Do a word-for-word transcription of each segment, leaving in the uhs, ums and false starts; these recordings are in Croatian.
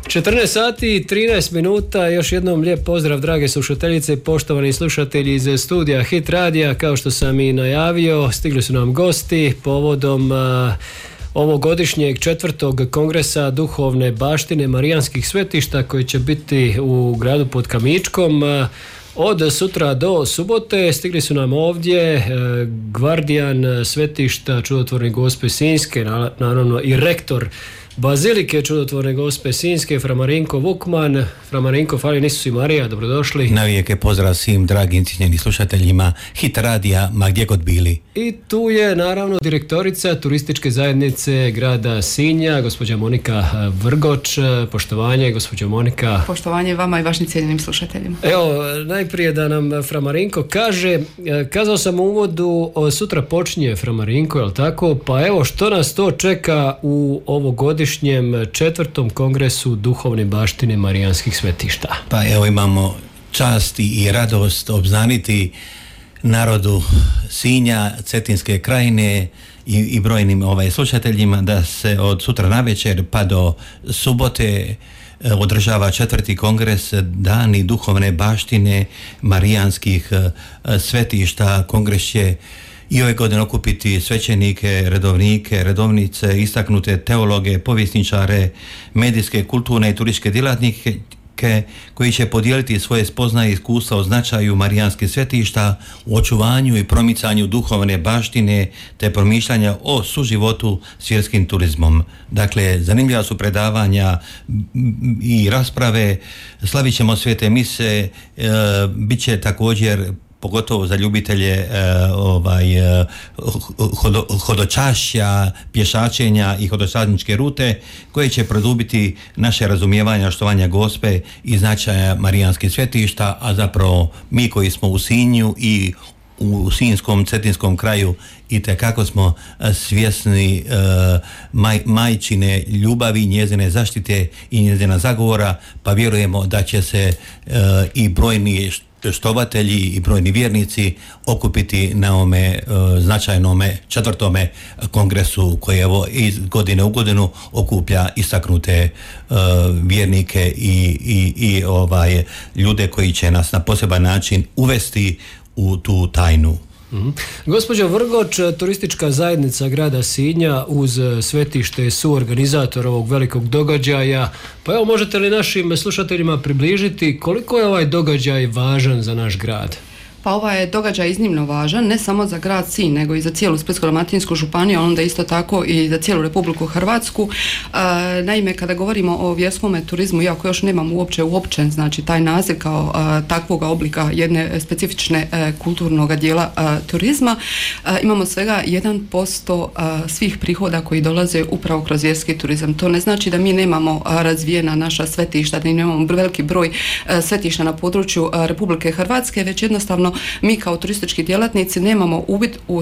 četrnaest sati i trinaest minuta, još jednom lijep pozdrav drage slušateljice i poštovani slušatelji iz studija Hit Radija. Kao što sam i najavio, stigli su nam gosti povodom uh, ovogodišnjeg četvrtog kongresa duhovne baštine marijanskih svetišta koji će biti u gradu pod Kamičkom. Uh, Od sutra do subote stigli su nam ovdje e, gvardijan svetišta Čudotvorne Gospe Sinjske, naravno i rektor Bazilike Čudotvorne Gospe Sinjske, fra Marinko Vukman. Fra Marinko, fali nisu i Marija, dobrodošli. Navijek je pozdrav svim dragim cijenjenim slušateljima Hit Radija, ma gdje god bili. I tu je naravno direktorica turističke zajednice grada Sinja, gospođa Monika Vrgoč. Poštovanje, gospođa Monika. Poštovanje vama i vašim cijenjenim slušateljima. Evo, najprije da nam fra Marinko kaže, kazao sam u uvodu, sutra počinje fra Marinko, je li tako? Pa evo, što nas to čeka u ovogodišnjem četvrtom kongresu duhovne baštine marijanskih svetišta? Pa evo, imamo čast i radost obznaniti narodu Sinja, Cetinske krajine i, i brojnim ovaj, slušateljima da se od sutra navečer pa do subote održava četvrti kongres Dani duhovne baštine marijanskih svetišta. Kongres će i ove godine okupiti svećenike, redovnike, redovnice, istaknute teologe, povjesničare, medijske, kulturne i turističke djelatnike koji će podijeliti svoje spoznaje i iskustva o značaju marijanskih svetišta u očuvanju i promicanju duhovne baštine te promišljanja o suživotu s vjerskim turizmom. Dakle, zanimljiva su predavanja i rasprave, slavit ćemo svete mise, e, bit će također pogotovo za ljubitelje e, ovaj, e, hodo, hodočašća, pješačenja i hodočasničke rute koje će produbiti naše razumijevanje štovanja Gospe i značaja marijanskih svetišta, a zapravo mi koji smo u Sinju i u Sinjskom, Cetinskom kraju i tekako smo svjesni e, maj, majčine ljubavi, njezine zaštite i njezina zagovora, pa vjerujemo da će se e, i brojni štovatelji i brojni vjernici okupiti na ovome uh, značajnome četvrtome kongresu koji evo iz godine u godinu okuplja istaknute uh, vjernike i, i, i ovaj, ljude koji će nas na poseban način uvesti u tu tajnu. Mm-hmm. Gospođo Vrgoč, turistička zajednica grada Sinja uz svetište je suorganizator ovog velikog događaja. Pa evo, možete li našim slušateljima približiti koliko je ovaj događaj važan za naš grad? Pa ovaj je događaj iznimno važan, ne samo za grad Sinj, nego i za cijelu Splitsko-dalmatinsku županiju, onda isto tako i za cijelu Republiku Hrvatsku. E, naime, kada govorimo o vjerskom turizmu, iako još nemam uopće uopćen, znači taj naziv kao e, takvog oblika jedne specifične e, kulturnog dijela e, turizma, e, imamo svega jedan posto e, svih prihoda koji dolaze upravo kroz vjerski turizam. To ne znači da mi nemamo a, razvijena naša svetišta, da nemamo veliki broj e, svetišta na području e, Republike Hrvatske, već jednostavno mi kao turistički djelatnici nemamo uvid u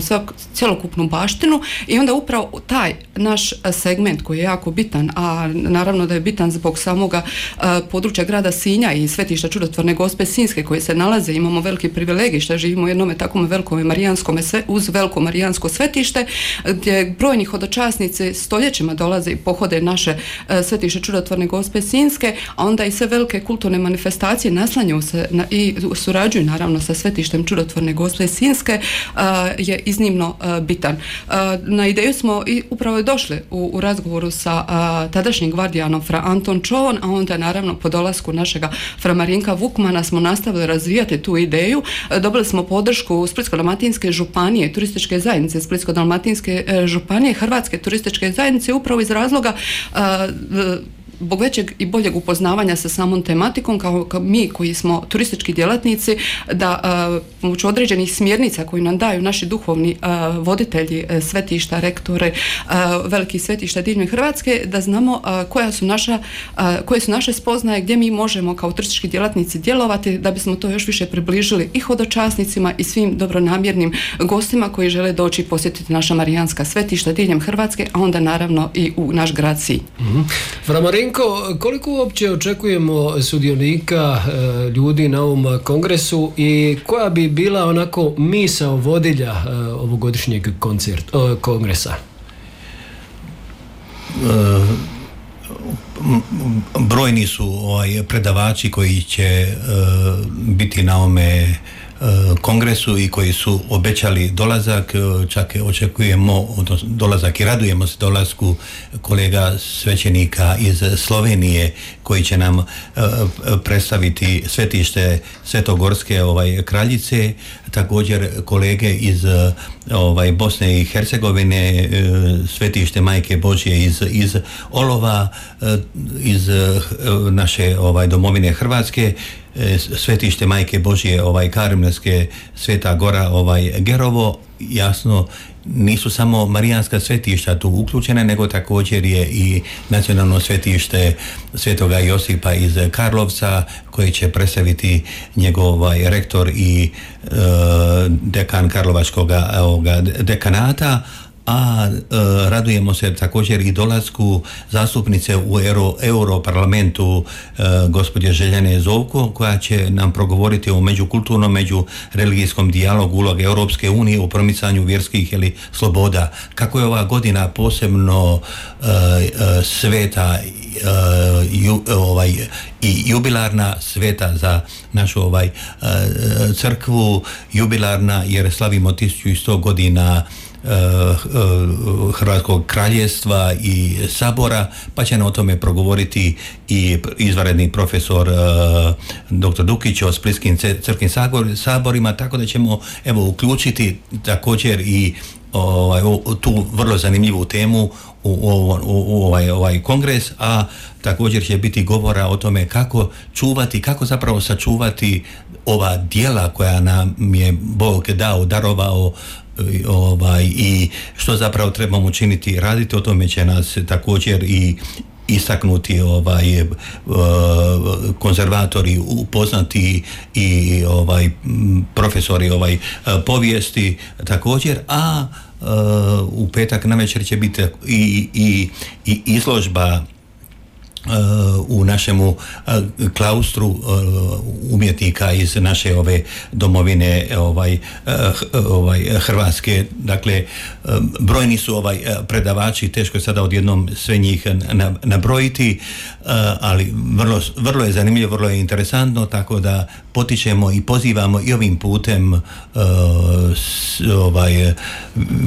cjelokupnu baštinu i onda upravo taj naš segment koji je jako bitan, a naravno da je bitan zbog samoga uh, područja grada Sinja i svetišta Čudotvorne Gospe Sinjske koje se nalaze, imamo veliki privilegij što živimo u jednom takvom velikom marijanskome uz veliko marijansko svetište gdje brojni hodočasnici stoljećima dolaze i pohode naše uh, svetište Čudotvorne Gospe Sinjske, a onda i sve velike kulturne manifestacije naslanjaju se na, i surađuju naravno sa svetištem Čudotvorne Gospe Sinjske uh, je iznimno uh, bitan. Uh, na ideju smo i upravo došli u, u razgovoru sa uh, tadašnjim gvardijanom fra Anton Čovon, a onda naravno po dolasku našega fra Marinka Vukmana smo nastavili razvijati tu ideju. Uh, dobili smo podršku Splitsko-dalmatinske županije, turističke zajednice Splitsko-dalmatinske uh, županije, Hrvatske turističke zajednice upravo iz razloga uh, zbog većeg i boljeg upoznavanja sa samom tematikom, kao, kao mi koji smo turistički djelatnici, da pomoću određenih smjernica koji nam daju naši duhovni a, voditelji a, svetišta, rektore, a, velikih svetišta diljem Hrvatske, da znamo a, koja su naša, a, koje su naše spoznaje, gdje mi možemo kao turistički djelatnici djelovati da bismo to još više približili i hodočasnicima i svim dobronamjernim gostima koji žele doći i posjetiti naša marijanska svetišta diljem Hrvatske, a onda naravno i u naš grad Sinj. Mm-hmm. Marinko, koliko uopće očekujemo sudionika e, ljudi na ovom kongresu i koja bi bila onako misao vodilja e, ovogodišnjeg koncert, e, kongresa? E, brojni su ovaj, predavači koji će uh, biti na ome kongresu i koji su obećali dolazak, čak očekujemo dolazak i radujemo se dolasku kolega svećenika iz Slovenije koji će nam uh, predstaviti svetište Svetogorske ovaj, kraljice, također kolege iz ovaj, Bosne i Hercegovine, uh, svetište Majke Božje iz, iz Olova, uh, iz uh, naše ovaj, domovine Hrvatske, svetište Majke Božje ovaj Karmelske, Sveta Gora ovaj Gerovo. Jasno, nisu samo marijanska svetišta tu uključene, nego također je i nacionalno svetište Svetoga Josipa iz Karlovca koji će predstaviti njegov ovaj, rektor i e, dekan Karlovačkog dekanata. A e, radujemo se također i dolasku zastupnice u Euro, Europarlamentu e, gospođe Željane Zovko, koja će nam progovoriti o međukulturnom, međureligijskom dijalogu uloge Europske unije u promicanju vjerskih ili sloboda. Kako je ova godina posebno e, e, sveta e, ju, ovaj, i jubilarna, sveta za našu ovaj, e, crkvu, jubilarna jer slavimo tisuću sto godina Hrvatskog kraljevstva i sabora, pa će nam o tome progovoriti i izvanredni profesor doktor Dukić o splitskim crkvim saborima, tako da ćemo evo uključiti također i ovaj, tu vrlo zanimljivu temu u, u, u, u ovaj, ovaj kongres, a također će biti govora o tome kako čuvati, kako zapravo sačuvati ova djela koja nam je Bog dao, darovao, ovaj, i što zapravo trebamo učiniti, raditi. O tome će nas također i istaknuti ovaj konzervatori, upoznati i ovaj profesori ovaj povijesti također, a u petak navečer će biti i, i, i izložba u našemu klaustru umjetnika iz naše ove domovine ovaj, ovaj Hrvatske. Dakle, brojni su ovaj predavači, teško je sada odjednom sve njih nabrojiti, ali vrlo, vrlo je zanimljivo, vrlo je interesantno, tako da potičemo i pozivamo i ovim putem ovaj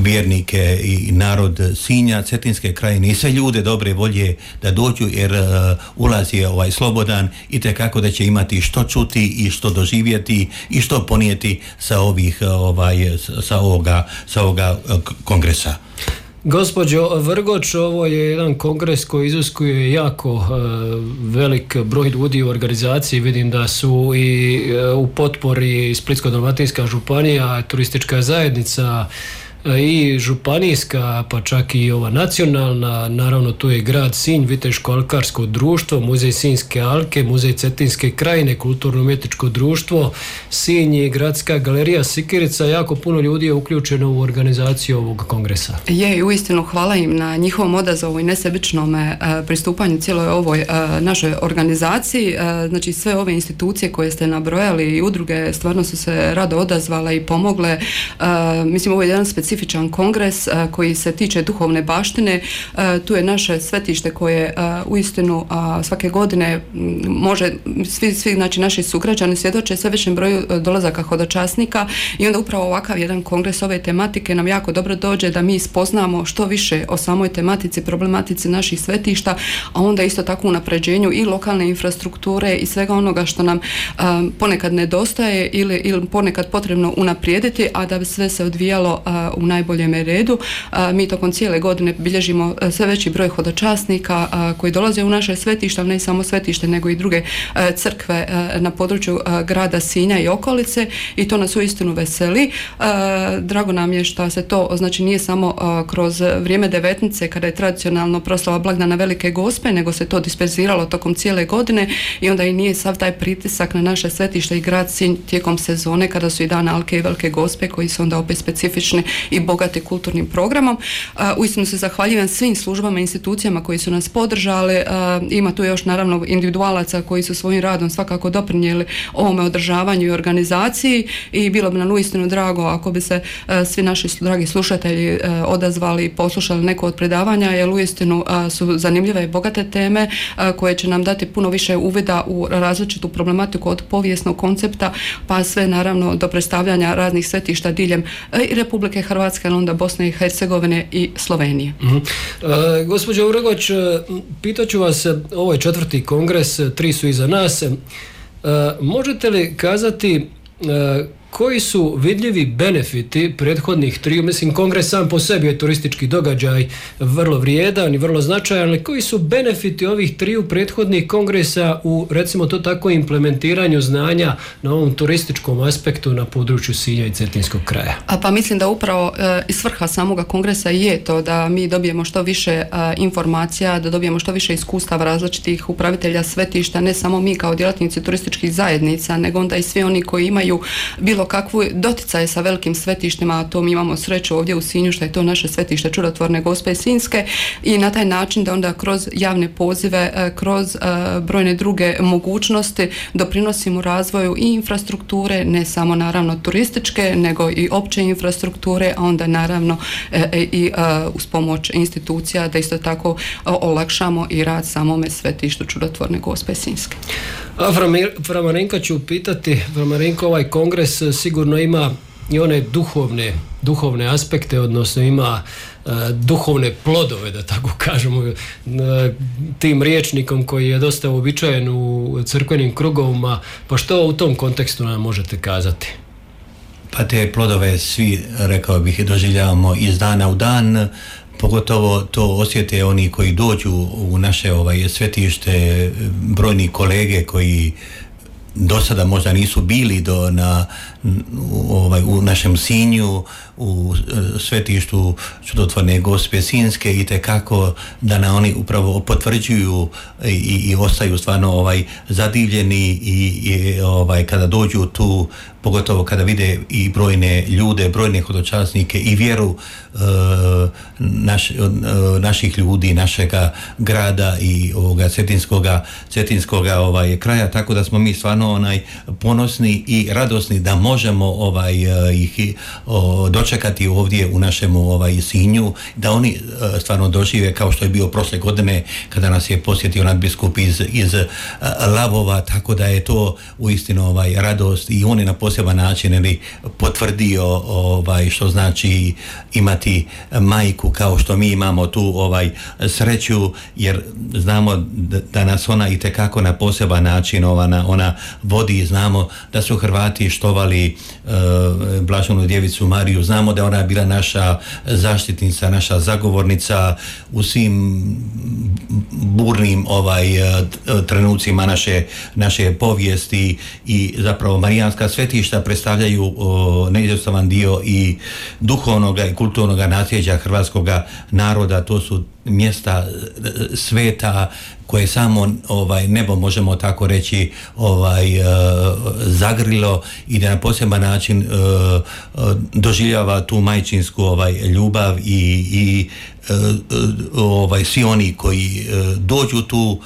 vjernike i narod Sinja, Cetinske krajine i sve ljude dobre volje da dođu, jer ulaz je ovaj slobodan i tekako da će imati što čuti i što doživjeti i što ponijeti sa ovih ovaj sa ovoga sa ovoga kongresa. Gospođo Vrgoč, ovo je jedan kongres koji iziskuje jako uh, velik broj ljudi u organizaciji. Vidim da su i uh, u potpori Splitsko-dalmatinska županija, turistička zajednica i županijska, pa čak i ova nacionalna, naravno tu je grad Sinj, Viteško-alkarsko društvo, muzej Sinjske alke, muzej Cetinske krajine, kulturno-umjetničko društvo Sinj i gradska galerija Sikirica. Jako puno ljudi je uključeno u organizaciju ovog kongresa. Je, uistinu hvala im na njihovom odazovu i nesebičnom uh, pristupanju cijeloj ovoj uh, našoj organizaciji. Uh, znači sve ove institucije koje ste nabrojali i udruge stvarno su se rado odazvale i pomogle. Uh, mislim, ovo je jedan specifičan kongres uh, koji se tiče duhovne baštine. Uh, tu je naše svetište koje uh, uistinu uh, svake godine može, svi, svi znači, naši sugrađani svjedoče sve većem broju uh, dolazaka hodočasnika i onda upravo ovakav jedan kongres ove tematike nam jako dobro dođe da mi spoznamo što više o samoj tematici, problematici naših svetišta, a onda isto tako unapređenju i lokalne infrastrukture i svega onoga što nam um, ponekad nedostaje ili, ili ponekad potrebno unaprijediti, a da bi sve se odvijalo uh, u najboljem redu. A, mi tokom cijele godine bilježimo a, sve veći broj hodočasnika a, koji dolaze u naše svetišta, ne samo svetište nego i druge a, crkve a, na području a, grada Sinja i okolice, i to nas uistinu veseli. A, drago nam je što se to, znači nije samo a, kroz vrijeme devetnice kada je tradicionalno proslava blagdana Velike Gospe, nego se to disperziralo tokom cijele godine i onda i nije sav taj pritisak na naše svetište i grad Sinj tijekom sezone kada su i dan Alke i Velike Gospe koji su onda opet specifični i bogati kulturnim programom. Uistinu se zahvaljujem svim službama i institucijama koji su nas podržali. Ima tu još naravno individualaca koji su svojim radom svakako doprinijeli ovome održavanju i organizaciji i bilo bi nam uistinu drago ako bi se svi naši dragi slušatelji odazvali i poslušali neko od predavanja, jer uistinu su zanimljive i bogate teme koje će nam dati puno više uvida u različitu problematiku od povijesnog koncepta pa sve naravno do predstavljanja raznih svetišta diljem i Republike Hrvatske, ali onda Bosne i Hercegovine i Slovenije. Uh-huh. Uh, gospođo Uregoć, pitaću vas, ovo je četvrti kongres, tri su iza nas. Uh, možete li kazati uh, koji su vidljivi benefiti prethodnih triju? Mislim, kongres sam po sebi je turistički događaj vrlo vrijedan i vrlo značajan, ali koji su benefiti ovih triju prethodnih kongresa u, recimo to tako, implementiranju znanja na ovom turističkom aspektu na području Sinja i Cetinskog kraja? A pa mislim da upravo e, i svrha samoga kongresa je to da mi dobijemo što više e, informacija, da dobijemo što više iskustava različitih upravitelja svetišta, ne samo mi kao djelatnici turističkih zajednica, nego onda i svi oni koji imaju bilo kakvu doticaje sa velikim svetištima, a to mi imamo sreću ovdje u Sinju što je to naše svetište Čudotvorne Gospe Sinjske, i na taj način da onda kroz javne pozive, kroz uh, brojne druge mogućnosti doprinosimo razvoju i infrastrukture, ne samo naravno turističke, nego i opće infrastrukture, a onda naravno e, i uh, uz pomoć institucija da isto tako uh, olakšamo i rad samome svetištu Čudotvorne Gospe Sinjske. A Framarenka ću pitati, Framarenko, ovaj kongres sigurno ima i one duhovne, duhovne aspekte, odnosno ima uh, duhovne plodove, da tako kažemo, uh, tim rječnikom koji je dosta uobičajen u crkvenim krugovima, pa što u tom kontekstu nam možete kazati? Pa te plodove svi, rekao bih, doživljavamo iz dana u dan. Pogotovo to osjete oni koji dođu u naše ovaj, svetište, brojni kolege koji do sada možda nisu bili do, na, ovaj, u našem Sinju, u svetištu Čudotvorne Gospe Sinjske, i tekako da na oni upravo potvrđuju i, i ostaju stvarno ovaj, zadivljeni i, i ovaj, kada dođu tu, pogotovo kada vide i brojne ljude, brojne hodočasnike i vjeru e, naš, e, naših ljudi, našega grada i ovoga cetinskoga, cetinskoga ovaj, kraja, tako da smo mi stvarno onaj, ponosni i radosni da možemo ovaj, ih o, dočekati ovdje u našem ovaj, Sinju, da oni e, stvarno dožive kao što je bio prošle godine kada nas je posjetio nadbiskup iz, iz Lavova, tako da je to uistinu ovaj, radost i on je na poseban način ili potvrdio ovaj, što znači imati majku kao što mi imamo tu ovaj, sreću, jer znamo da, da nas ona i tekako na poseban način ona, ona vodi. Znamo da su Hrvati štovali uh, Blaženu djevicu Mariju, znamo da ona je bila naša zaštitnica, naša zagovornica u svim burnim ovaj, trenucima naše, naše povijesti, i zapravo marijanska svetišta predstavljaju neizostavan dio i duhovnog i kulturnog nasljeđa hrvatskog naroda. To su mjesta sveta koje samo ovaj, nebo, možemo tako reći, ovaj, uh, zagrilo i da na poseban način uh, uh, doživljava tu majčinsku ovaj, ljubav i, i uh, uh, ovaj, svi oni koji uh, dođu tu uh,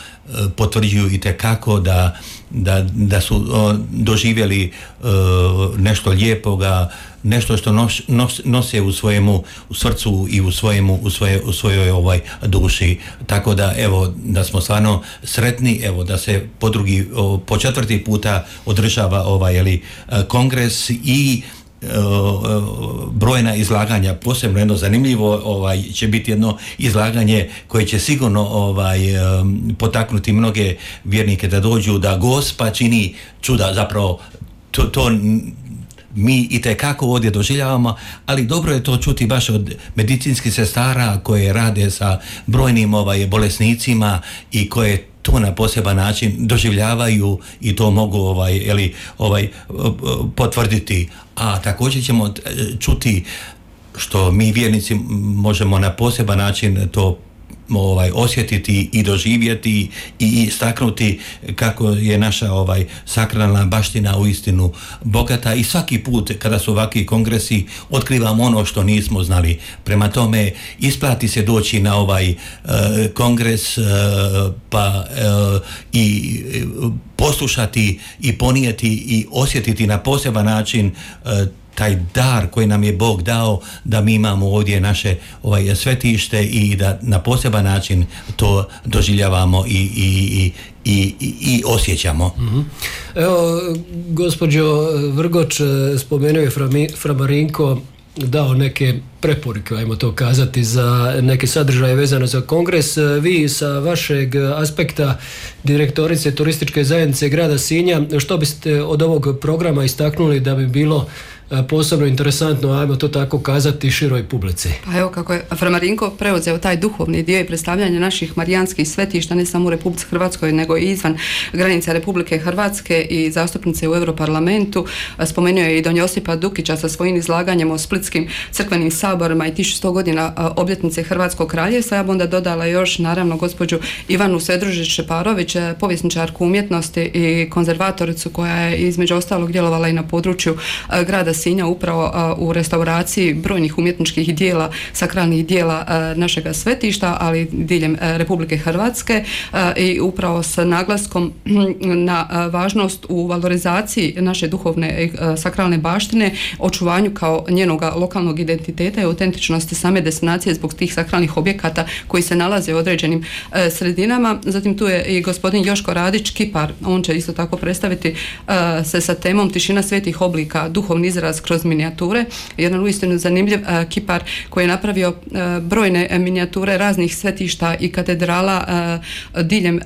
potvrđuju i tekako da, da, da su uh, doživjeli uh, nešto lijepoga, nešto što nos, nos, nose u svojemu u srcu i u svojemu u svoje u svojoj ovaj duši. Tako da evo da smo stvarno sretni, evo da se po drugi po četvrti puta održava ovaj ili kongres i brojna izlaganja. Posebno jedno zanimljivo ovaj će biti jedno izlaganje koje će sigurno ovaj potaknuti mnoge vjernike da dođu, da Gospa čini čuda. Zapravo to, to mi itekako ovdje doživljavamo, ali dobro je to čuti baš od medicinskih sestara koje rade sa brojnim ovaj, bolesnicima i koje to na poseban način doživljavaju i to mogu ovaj, ili, ovaj, potvrditi. A također ćemo čuti što mi vjernici možemo na poseban način to ovaj, osjetiti i doživjeti i istaknuti kako je naša ovaj, sakralna baština uistinu bogata i svaki put kada su ovakvi kongresi otkrivamo ono što nismo znali. Prema tome isplati se doći na ovaj uh, kongres uh, pa uh, i uh, poslušati i ponijeti i osjetiti na poseban način uh, taj dar koji nam je Bog dao da mi imamo ovdje naše ovaj, svetište i da na poseban način to doživljavamo i, i, i, i, i osjećamo. Mm-hmm. Evo, gospođo Vrgoč, spomenuo je Fra Marinko, dao neke preporuke, ajmo to kazati, za neke sadržaje vezane za kongres. Vi sa vašeg aspekta direktorice turističke zajednice grada Sinja, što biste od ovog programa istaknuli da bi bilo posebno interesantno, ajmo to tako kazati, široj publici? Pa evo kako je Fra Marinko preuzeo taj duhovni dio i predstavljanje naših marijanskih svetišta ne samo u Republici Hrvatskoj nego i izvan granica Republike Hrvatske i zastupnice u Europarlamentu. Spomenuo je i don Josipa Dukića sa svojim izlaganjem o splitskim crkvenim saborima i tisuću sto godina obljetnice Hrvatskog kraljevstva. Ja bi onda dodala još naravno gospođu Ivanu Sedružić-Šeparović, povjesničarku umjetnosti i konzervatoricu koja je između ostalog djelovala i na području grada Sinja upravo u restauraciji brojnih umjetničkih dijela, sakralnih dijela našega svetišta, ali diljem Republike Hrvatske i upravo s naglaskom na važnost u valorizaciji naše duhovne sakralne baštine, očuvanju kao njenoga lokalnog identiteta i autentičnosti same destinacije zbog tih sakralnih objekata koji se nalaze u određenim sredinama. Zatim tu je i gospodin Joško Radić, kipar, on će isto tako predstaviti se sa temom Tišina svetih oblika, duhovni izraz kroz minijature. Jedan uistinu zanimljiv uh, kipar koji je napravio uh, brojne uh, minijature raznih svetišta i katedrala uh, diljem uh,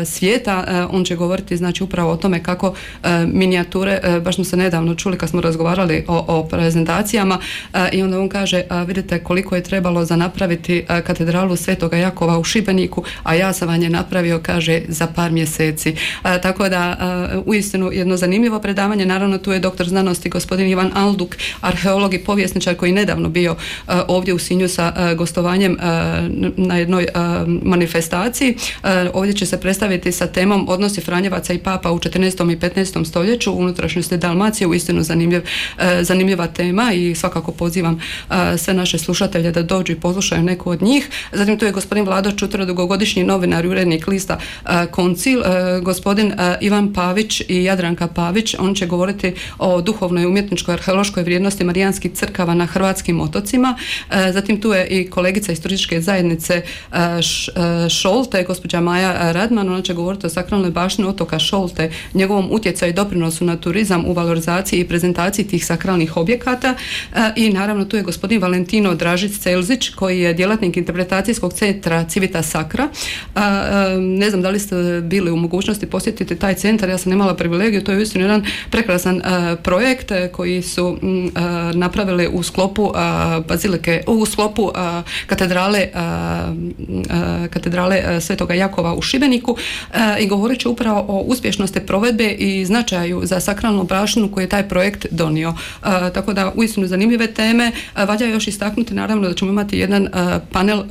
svijeta. Uh, on će govoriti znači upravo o tome kako uh, minijature, uh, baš smo se nedavno čuli kad smo razgovarali o, o prezentacijama uh, i onda on kaže uh, vidite koliko je trebalo za napraviti uh, katedralu Svetoga Jakova u Šibeniku, a ja sam vam je napravio, kaže, za par mjeseci. Uh, tako da uh, uistinu jedno zanimljivo predavanje. Naravno tu je doktor znanosti gospodin Ivan Alduk, arheolog i povjesničar koji je nedavno bio uh, ovdje u Sinju sa uh, gostovanjem uh, na jednoj uh, manifestaciji. Uh, ovdje će se predstaviti sa temom odnosi Franjevaca i Papa u četrnaestom i petnaestom stoljeću u unutrašnjosti Dalmacije. Uistinu zanimljiv, uh, zanimljiva tema i svakako pozivam uh, sve naše slušatelje da dođu i poslušaju neku od njih. Zatim tu je gospodin Vlado Čutura, dugogodišnji novinar i urednik lista uh, Koncil, uh, gospodin uh, Ivan Pavić i Jadranka Pavić. On će govoriti o duhovnoj umjetničkoj arheološkoj vrijednosti marijanskih crkava na hrvatskim otocima. E, zatim tu je i kolegica iz turističke zajednice e, š, e, Šolte, gospođa Maja Radman. Ona će govoriti o sakralnoj baštini otoka Šolte, njegovom utjecaju i doprinosu na turizam u valorizaciji i prezentaciji tih sakralnih objekata. E, I naravno tu je gospodin Valentino Dražić-Celzić koji je djelatnik interpretacijskog centra Civita Sacra. E, e, ne znam da li ste bili u mogućnosti posjetiti taj centar, ja sam imala privilegiju, to je uistinu jedan prekrasan e, projekt koji su m, uh, napravili u sklopu uh, bazilike, u sklopu uh, katedrale uh, uh, katedrale uh, Svetoga Jakova u Šibeniku uh, i govorit će upravo o uspješnosti provedbe i značaju za sakralnu baštinu koji je taj projekt donio. Uh, tako da uistinu zanimljive teme. Uh, valja još istaknuti naravno da ćemo imati jedan uh, panel, uh,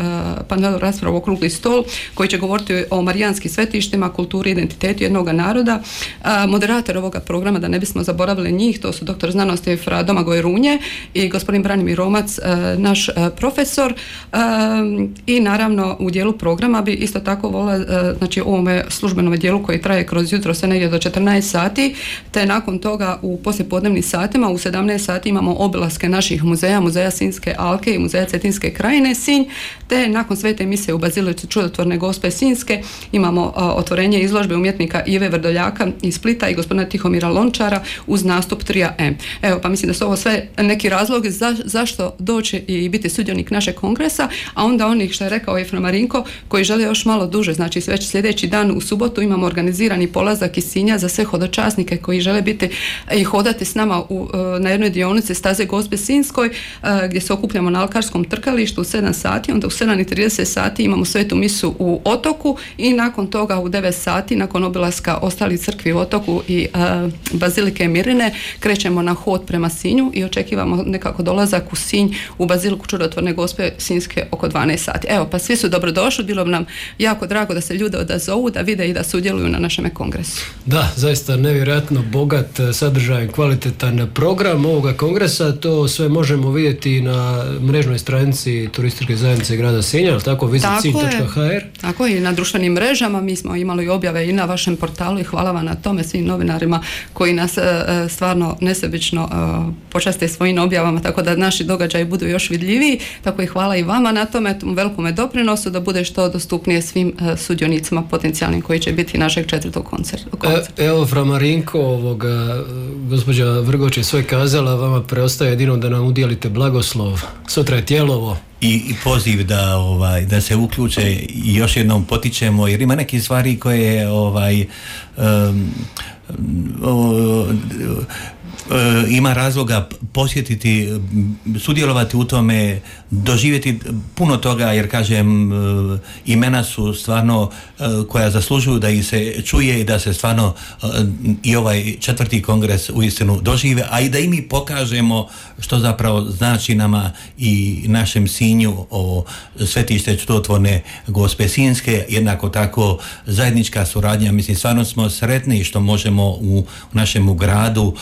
panel raspravu, okrugli stol koji će govoriti o marijanskim svetištima, kulturi i identitetu jednog naroda. Uh, moderator ovoga programa, da ne bismo zaboravili njih, to su doktor znanosti Fra Domagoj Runje i gospodin Branimir Romac, naš profesor. I naravno u dijelu programa bi isto tako volila, znači u ovome službenom dijelu koji traje kroz jutro sve negdje do četrnaest sati, te nakon toga u poslijepodnevnim satima u sedamnaest sati imamo obilaske naših muzeja, muzeja Sinjske alke i muzeja Cetinske krajine Sinj, te nakon svete emisije u Bazilici Čudotvorne Gospe Sinjske imamo otvorenje izložbe umjetnika Ive Vrdoljaka iz Splita i gospodina Tihomira Lončara uz nastup Trija M. Evo, pa mislim da su ovo sve neki razlogi za, zašto doći i biti sudionik našeg kongresa, a onda onih što je rekao i Fra Marinko koji žele još malo duže, znači već sljedeći dan u subotu imamo organizirani polazak iz Sinja za sve hodočasnike koji žele biti i hodati s nama u, na jednoj dionici staze Gospe Sinjskoj gdje gdje se okupljamo na alkarskom trkalištu u sedam sati, onda u sedam i trideset sati imamo svetu misu u Otoku i nakon toga u devet sati, nakon obilaska ostalih crkvi u Otoku i uh, Bazilike Mirine, krećemo na hod prema Sinju i očekivamo nekako dolazak u Sinj u Baziliku Čudotvorne Gospe Sinjske oko dvanaest sati. Evo, pa svi su dobrodošli, bilo bi nam jako drago da se ljude odazovu, da vide i da sudjeluju na našem kongresu. Da, zaista nevjerojatno bogat sadržaj, kvalitetan program ovoga kongresa, to sve možemo vidjeti na mrežnoj stranici Turističke zajednice grada Sinja, tako visit sinj točka ha er. Tako i na društvenim mrežama, mi smo imali objave i na vašem portalu i hvala vam na tome, svim novinarima koji nas stvarno nesebično počaste svojim objavama, tako da naši događaji budu još vidljiviji, tako i hvala i vama na tome, tom velikome doprinosu da bude što dostupnije svim sudionicima potencijalnim koji će biti našeg četvrtog koncerta. E, evo, fra Marinko, ovoga, gospođa Vrgoč je sve kazala, vama preostaje jedino da nam udijelite blagoslov. Sutra je Tjelovo. I, i poziv da ovaj da se uključe i još jednom potičemo, jer ima neke stvari koje ovaj um, um, ima razloga posjetiti, sudjelovati u tome, doživjeti puno toga, jer kažem, imena su stvarno koja zaslužuju da ih se čuje i da se stvarno i ovaj četvrti kongres uistinu dožive, a i da i mi pokažemo što zapravo znači nama i našem Sinju o Svetište Čudotvorne Gospe Sinjske, jednako tako zajednička suradnja. Mislim, stvarno smo sretni što možemo u našem gradu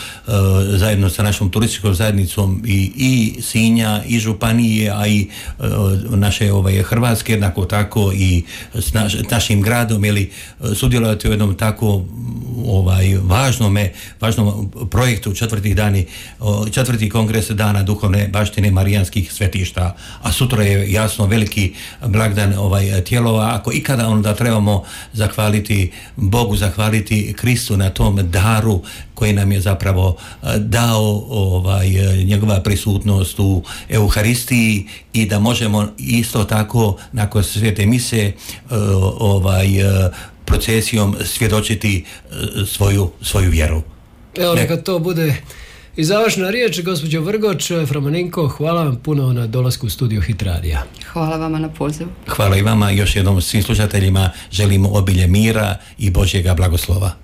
zajedno sa našom turističkom zajednicom i, i Sinja i županije, a i uh, naše ovaj, Hrvatske, jednako tako i s naš, našim gradom, ili sudjelovati u jednom tako ovaj, važnome, važnom projektu četvrtih dani, četvrti kongres Dana duhovne baštine marijanskih svetišta, a sutra je jasno veliki blagdan ovaj, Tjelova. Ako ikada, onda trebamo zahvaliti Bogu, zahvaliti Kristu na tom daru koji nam je zapravo dao ovaj, njegova prisutnost u Euharistiji, i da možemo isto tako nakon svete mise ovaj, procesijom svjedočiti svoju, svoju vjeru. Evo, neka to bude i završna riječ, gospođo Vrgoč. fra Marinko, hvala vam puno na dolasku u studiju Hit Radija. Hvala vama na pozivu. Hvala i vama, još jednom svim slušateljima želimo obilje mira i Božjega blagoslova.